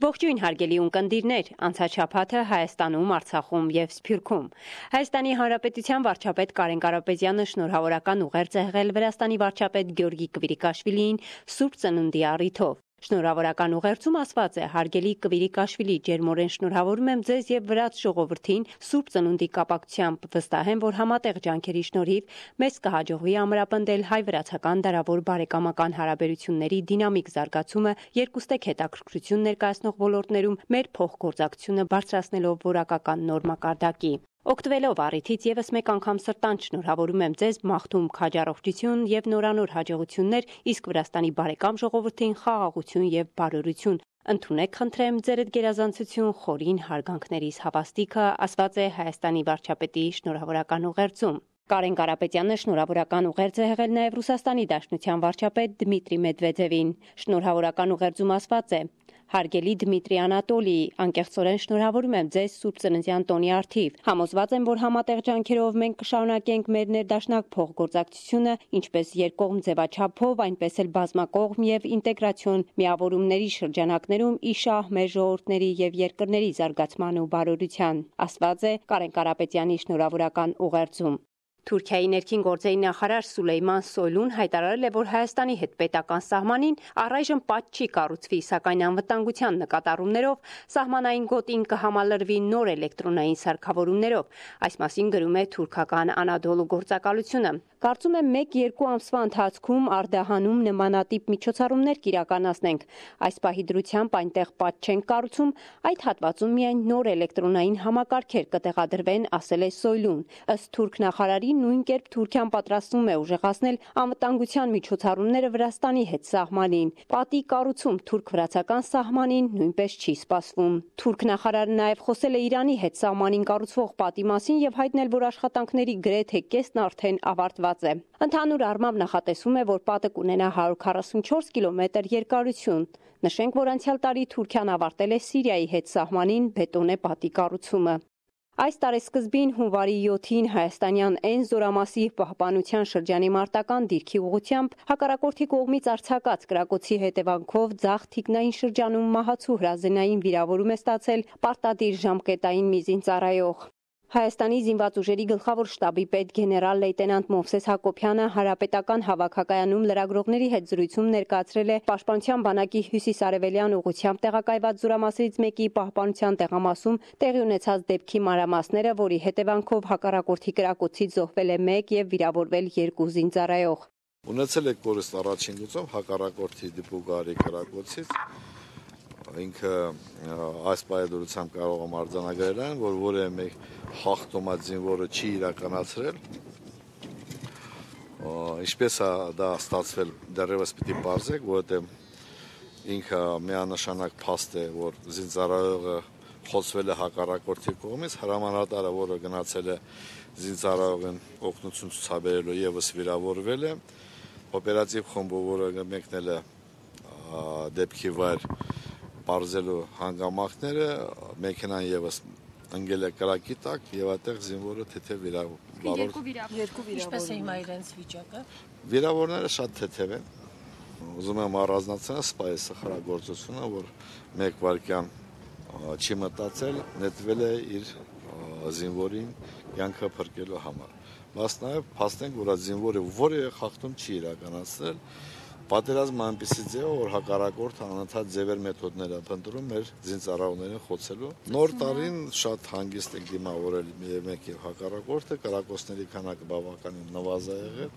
Ողջույն հարգելի ունկնդիրներ, անցած շաբաթը Հայաստանում, Արցախում եւ Սփյուռքում։ Հայաստանի Հանրապետության վարչապետ Կարեն Կարապետյանը շնորհավորական ուղերձ է եղել Վրաստանի վարչապետ Գյորգի Կվիրիկաշվիլիին Սուրբ Ծնունդի առիթով։ Շնորհավորական ուղերձում ասված է. «Հարգելի Կվիրիկաշվիլի, ջերմորեն շնորհավորում եմ ձեզ եւ վրաց ժողովրդին Սուրբ Ծնունդի կապակցությամբ, վստահ եմ, որ համատեղ ջանքերի շնորհիվ մեզ կհաջողվի ամրապնդել հայ-վրացական դարավոր բարեկամական հարաբերությունների դինամիկ զարգացումը, երկուստեք հետաքրքրություն ներկայացնող ոլորտներում մեր փոխգործակցությունը բարձրացնելով որակական նոր մակարդակի։ Օգտվելով առիթից եւս մեկ անգամ սրտանց շնորհավորում եմ ձեզ, մաղթում քաջառողջություն եւ նորանոր հաջողություններ, իսկ Վրաստանի բարեկամ ժողովրդին խաղաղություն եւ բարօրություն։ Ընդունեք, խնդրեմ, ձերդ գերազանցություն խորին հարգանքներիս հավաստիքը», ասված է Հայաստանի վարչապետի շնորհավորական ուղերձում։ Կարեն Կարապետյանը շնորհավորական ուղերձ է եղել նաև Ռուսաստանի Դաշնության վարչապետ Դմիտրի Մեդվեդևին։ Շնորհավորական ուղերձում ասված է. «Հարգելի Դմիտրի Անատոլիի, անկեղծորեն շնորհավորում եմ ձեզ Սուրբ Ծննդյան տոնի առթիվ։ Համոզված եմ, որ համատեղ ջանքերով մենք կշարունակենք մեր ներդաշնակ փոխգործակցությունը, ինչպես երկկողմ ձևաչափով, այնպես էլ բազմակողմ եւ ինտեգրացիոն միավորումների շրջանակներում ի շահ մեր ժողովուրդների եւ երկրների զարգացման ու բարօրության», ասված է Կարեն Կարապետյանի շնորհավորական ուղերձում։ Թուրքիայի ներքին գործերի նախարար Սուլեյման Սոյլուն հայտարարել է, որ Հայաստանի հետ պետական սահմանին առայժմ պատժ չի կառուցվի, սակայն անվտանգության նկատառումներով սահմանային գոտին կհամալրվի նոր էլեկտրոնային սարքավորումներով։ Այս մասին գրում է թուրքական Անադոլու գործակալությունը։ Կարծում եմ 1-2 ամսվա ընթացքում Արդահանում նմանատիպ միջոցառումներ կիրականացնենք։ Այս պահի դրությամբ այնտեղ պատժ չենք կառուցում, այդ հատվածում միայն նոր էլեկտրոնային համակարգեր կտեղադրվեն, ասել է Սոյլուն։ Ըստ թուրք նախարարի, նույն կերպ Թուրքիան պատրաստվում է ուժեղացնել անվտանգության միջոցառումները Վրաստանի հետ սահմանին։ Պատի կառուցում թուրք-վրացական սահմանին նույնպես չի սպասվում։ Թուրք նախարարը նաև խոսել է Իրանի հետ սահմանին կառուցվող պատի մասին եւ հայտնել, որ աշխատանքների գրեթե կեսն արդեն ավարտված է։ Ընդհանուր առմամբ նախատեսվում է, որ պատը կունենա 144 կիլոմետր երկարություն։ Նշենք, որ անցյալ տարի Թուրքիան ավարտել է Սիրիայի հետ սահմանին բետոնե պատի կառուցումը։ Այս տարեսկզբին հունվարի 7-ին հայաստանյան Էն զորամասի պահպանության շրջանի մարտական դիրքի ուղղությամբ հակառակորդի կողմից արձակած կրակոցի հետևանքով ձախ թիկնային շրջանում մահացու հրազենային վիրավորում է ստացել պարտադիր ժամկետային մի զինծառայող։ Հայաստանի զինված ուժերի գլխավոր շտաբի պետ գեներալ լեյտենանտ Մովսես Հակոբյանը հանրապետական հավաքակայանում լրագրողների հետ զրույցում ներկայացրել է Պաշտպանության բանակի հյուսիս-արևելյան ուղղությամբ տեղակայված զորամասերից մեկի պահպանության տեղամասում տեղի ունեցած դեպքի մանրամասները, որի հետևանքով հակառակորդի կրակոցից զոհվել է 1 եւ վիրավորվել 2 զինծառայող։ Ունեցել եք կորուստ առաջին գծով հակառակորդի դիպուկարի կրակոցից։ Ինքը այս պայմանությամբ կարող եմ արձանագրել այն, որ որևէ մեկ հաղթոմած զինվորը չի իրականացրել։ Ինչպես է դա ստացվել, դեռևս պիտի պարզեք, որովհետև ինքը միանշանակ փաստ է, որ զինծառայողը խոցվել է հակառակորդի կողմից, հրամանատարը, որը գնացել է զինծառայողին օգնություն ցուցաբերելու եւս վիրավորվել է։ Օպերատիվ խումբը, որը մեկնել է դեպքի վայր պարզելու հանգամանքները, մեքենան եւս ընկել է կրակի տակ եւ այդտեղ զինվորը թեթև վիրավորվել։ Ինչպես է հիմա իրենց վիճակը։ Վիրավորները շատ թեթև են։ Ուզում եմ առանձնացնել սպայի սխրագործությունը, որ 1 վայրկյան չի մտածել, նետվել է իր զինվորին կյանքը փրկելու համար։ Բայց նաեւ փաստենք, որ այդ զինվորը որևէ խախտում չի իրականացրել։ Պատերազմը այնպեսի ձև է, որ հակառակորդը անընդհատ ձևեր մեթոդներ է փնտրում մեր զինծառայողներին խոցելու։ Նոր տարին շատ հանգիստ ենք դիմավորել մեկ եւ հակառակորդը, կրակոցների քանակը բավականին նվազ է եղել,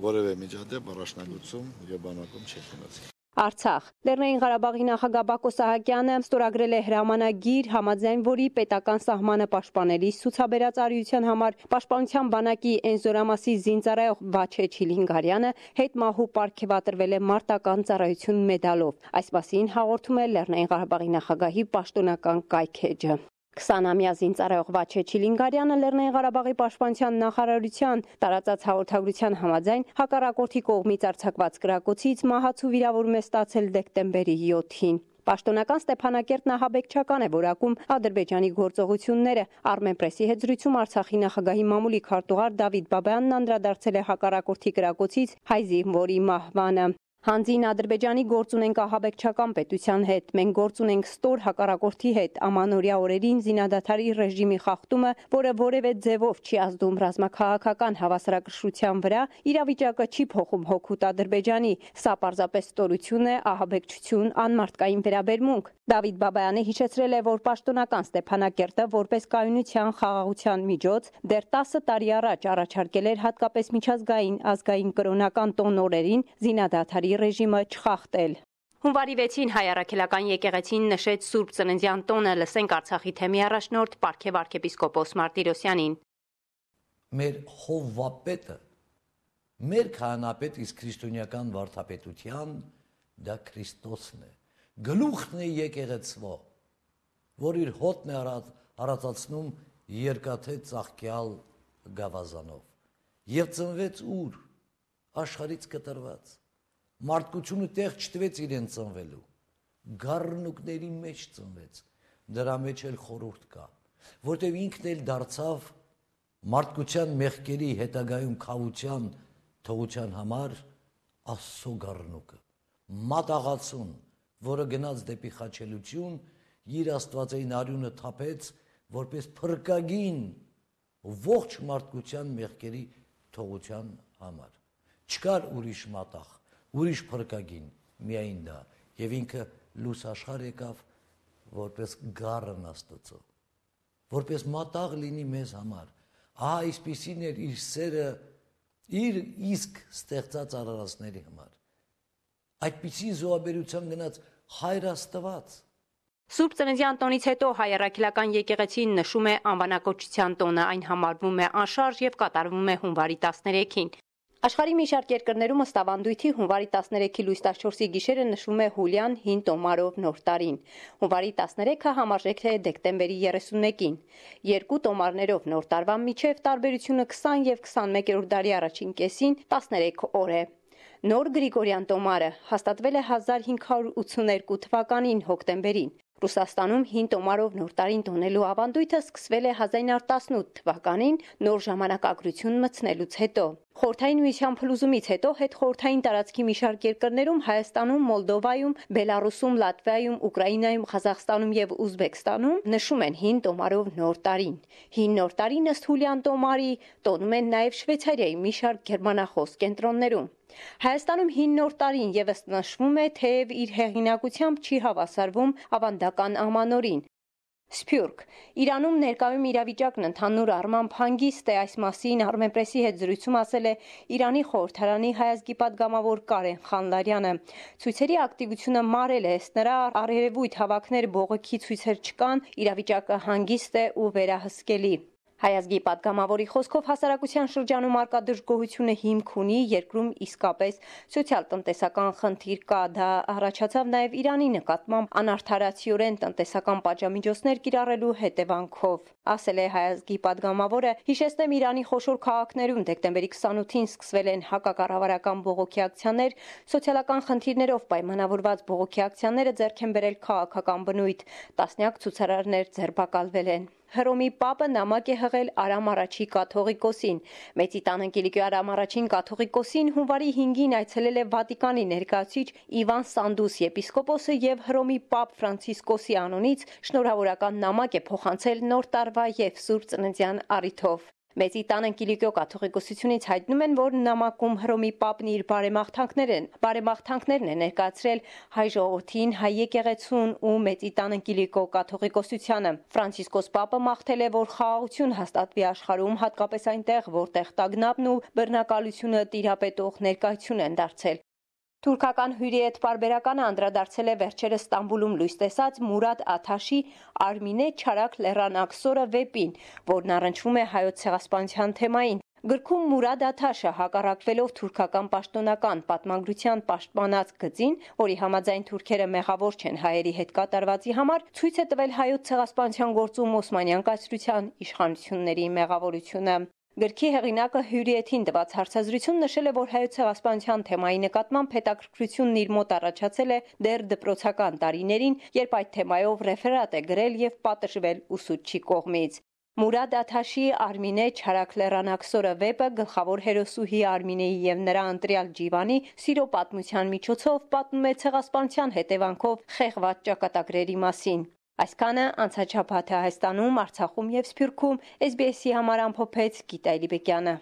որևէ միջադեպ առաջնագծում եւ բանակում չի ունեցել։ Արցախ Լեռնային Ղարաբաղի նախագահ Բակո Սահակյանը ստորագրել է հրամանագիր, համաձայն որի պետական սահմանը պաշտպանելիս ցուցաբերած արիության համար Պաշտպանության բանակի Էն զորամասի զինծառայող Վաչե Չիլինգարյանը հետմահու պարգևատրվել է մարտական ծառայություն մեդալով։ Այս մասին հաղորդում է Լեռնային Ղարաբաղի նախագահի պաշտոնական կայքէջը։ 20-ամյա զինծառայող Վաչե Չիլինգարյանը Լեռնային Ղարաբաղի պաշտպանության նախարարության տարածած հաղորդագրության համաձայն հակառակորդի կողմից արձակված կրակոցից մահացու վիրավորում է ստացել դեկտեմբերի 7-ին։ Պաշտոնական Ստեփանակերտ նահաբեկչական է որակում Ադրբեջանի գործողությունները։ Armenpress-ի հետ զրույցում Արցախի նախագահի մամուլի քարտուղար Դավիթ Բաբայանն անդրադարձել է հակառակորդի կրակոցից հայ զինվորի մահվանը։ Հանձին Ադրբեջանի գործ ունենք ահաբեկչական պետության հետ, մենք գործ ունենք ստոր հակառակորդի հետ, ամանորյա օրերին զինադադարի ռեժիմի խախտումը, որը որևէ ձևով չի ազդում ռազմաքաղաքական հավասարակշռության վրա, իրավիճակը չի փոխում հօգուտ Ադրբեջանի, սա պարզապես ստորություն է, ահաբեկչություն, անմարդկային վերաբերմունք։ Դավիթ Բաբայանը հիշեցրել է, որ պաշտոնական Ստեփանակերտը որպես կայունության խաղաղության միջոց դեռ 10 տարի առաջ առաջարկել էր հատկապես միջազգային ազգային կրոնական տոն օրերին զինադադարի ռեժիմը չխախտել։ Հունվարի 6-ին հայ առաքելական եկեղեցին նշեց Սուրբ Ծննդյան տոնը, լսենք Արցախի թեմի առաջնորդ Պարքև arczepiskopos Մարտիրոսյանին։ Մեր հովվապետը, մեր քահանապետ իսկ քրիստոնեական վարդապետության դա Քրիստոսն է, գլուխն է եկեղեցվո, որ իր հոտն է արածացնում երկաթե ծաղկյալ գավազանով, եւ ծնվեց ուր, աշխարից կտրված, մարդկությունը տեղ չտվեց իրեն ծնվելու, գառնուկների մեջ ծնվեց, դրա մեջ էլ խորհուրդ կա, որտեւ ինքն էլ դարձավ մարդկության մեղքերի հետագայում քավության, թողության համար Աստծո գառնուկը, մատաղացուն, որը գնաց դեպի խաչելություն, իր աստվածային արյունը թափեց, որպես փրկագին ողջ մարդկության մեղքերի թողության համար։ Չկար ուրիշ մատաղ, ուրիշ փրկագին, միայն դա, եւ ինքը լույս աշխարհ եկավ որպես գառն Աստծո, որպես մատաղ լինի մեզ համար։ Ահա այսպիսին էր իր սերը իր իսկ ստեղծած արարածների համար։ Այդպիսի զոհաբերության գնաց Հայր Աստված։ Սուրբ Ծննդյան տոնից հետո հայ առաքելական եկեղեցին նշում է անվանակոչության տոնը, այն համարվում է անշարժ եւ կատարվում է հունվարի 13-ին։ Աշխարհի մի շարք երկրներում ըստ ավանդույթի հունվարի 13-ի լույս 14-ի գիշերը նշվում է Հուլյան հին տոմարով նոր տարին։ Հունվարի 13-ը համարժեք է դեկտեմբերի 31-ին։ Երկու տոմարներով նոր տարվա միջև տարբերությունը 20 եւ 21-րդ դարի առաջին կեսին 13 օր է։ Նոր Գրիգորյան տոմարը հաստատվել է 1582 թվականին հոկտեմբերին։ Ռուսաստանում հին տոմարով նոր տարին տոնելու ավանդույթը սկսվել է 1918 թվականին նոր ժամանակագրություն մտցնելուց հետո։ Խորհրդային միության փլուզումից հետո հետխորհրդային տարածքի մի շարք երկրներում Հայաստանում, Մոլդովայում, Բելարուսում, Լատվիայում, Ուկրաինայում, Ղազախստանում եւ Ուզբեկստանում նշում են հին տոմարով նոր տարին։ Հին նոր տարին ըստ Հուլյան տոմարի տոնում են նաեւ Շվեյցարիայի մի շարք գերմանախոս կենտրոններում։ Հայաստանում հին նոր տարին եւս նշվում է, թեև իր հեղինակությամբ չի հավասարվում ավանդական ամանորին։ Սփյուռք Իրանում ներկայում իրավիճակն ընդհանուր առմամբ հանգիստ է, այս մասին Armenpress-ի հետ զրույցում ասել է Իրանի խորհրդարանի հայազգի падգամավոր Կարեն Խանլարյանը։ Ցույցերի ակտիվությունը մարել է, ըստ նրա առերևույթ հավաքներ բողոքի ցույցեր չկան, իրավիճակը հանգիստ է ու վերահսկելի։ Հայազգի падգամավորի խոսքով հասարակության շրջանում արկա դժգոհությունը հիմք ունի, երկրում իսկապես սոցիալ-տնտեսական խնդիր կա, դա առաջացավ նաև Իրանի նկատմամբ անարդարացիորեն տնտեսական պատժամիջոցներ կիրառելու հետևանքով, ասել է Հայազգի падգամավորը, հիշեցնեմ Իրանի խոշոր քաղաքներում դեկտեմբերի 28-ին սկսվել են հակակառավարական բողոքի ակցիաներ, սոցիալական խնդիրներով պայմանավորված բողոքի ակցիաները ձեռք են բերել քաղաքական բնույթ, տասնյակ ցուցարարներ ձերբակալվել են։ Հռոմի Պապը նամակ է հղել Արամ Արաչի կաթողիկոսին։ Մեծի տան Անգելիկի Արամ Արաչին կաթողիկոսին հունվարի 5-ին այցելել է Վատիկանի ներկայացուցիչ Իվան Սանդուս եպիսկոպոսը եւ Հռոմի Պապ Ֆրանցիսկոսի անունից շնորհավորական նամակ է փոխանցել նոր տարվա եւ Սուրբ Ծննդյան առիթով։ Մեծի տան Անգելիկո կաթողիկոսությունից հայտնում են, որ նամակում Հռոմի Պապն իր բարեմաղթանքներն է ներկայացրել հայ ժողովրդին, հայ եկեղեցուն ու Մեծի տան Անգելիկո կաթողիկոսությանը։ Ֆրանցիսկոս Պապը մաղթել է, որ խաղաղություն հաստատվի աշխարհում, հատկապես այնտեղ, որտեղ տագնապն ու բռնակալությունը տիրապետող ներկայություն են դարձել։ Թուրքական հյուրի հետ պարբերականը անդրադարձել է վերջերս Ստամբուլում լույս տեսած Մուրադ Աթաշի Արմինե Չարակ Լեռան վեպին, որն առնչվում է հայոց ցեղասպանության թեմային։ Գրքում Մուրադ Աթաշը հակառակվելով թուրքական պաշտոնական պատմագրության պաշտպանած գծին, որի համաձայն թուրքերը մեղավոր չեն հայերի հետ կատարվածի համար, ցույց է տվել հայոց ցեղասպանության գործում Օսմանյան կայսրության իշխանությունների մեղավորությունը։ Գրքի հեղինակը հյուրի հետ տված հարցազրույցում նշել է, որ հայոց ցեղասպանության թեմայի նկատմամբ հետաքրքրությունն իր մոտ առաջացել է դեռ դպրոցական տարիներին, երբ այդ թեմայով ռեֆերատ է գրել եւ պատժվել ուսուցչի կողմից։ Մուրադ Աթաշի Արմինե Չարաքլերանաքսորը վեպը գլխավոր հերոսուհի Արմինեի եւ նրա ընտրյալ Ջիվանի սիրո պատմության միջոցով պատմում է ցեղասպանության հետևանքով խեղված ճակատագրերի մասին։ Այսքանը անցաչափ Հայաստանում, Արցախում եւ Սփյուռքում SBS-ի համար ամփոփեց Գիտա Իլիբեկյանը։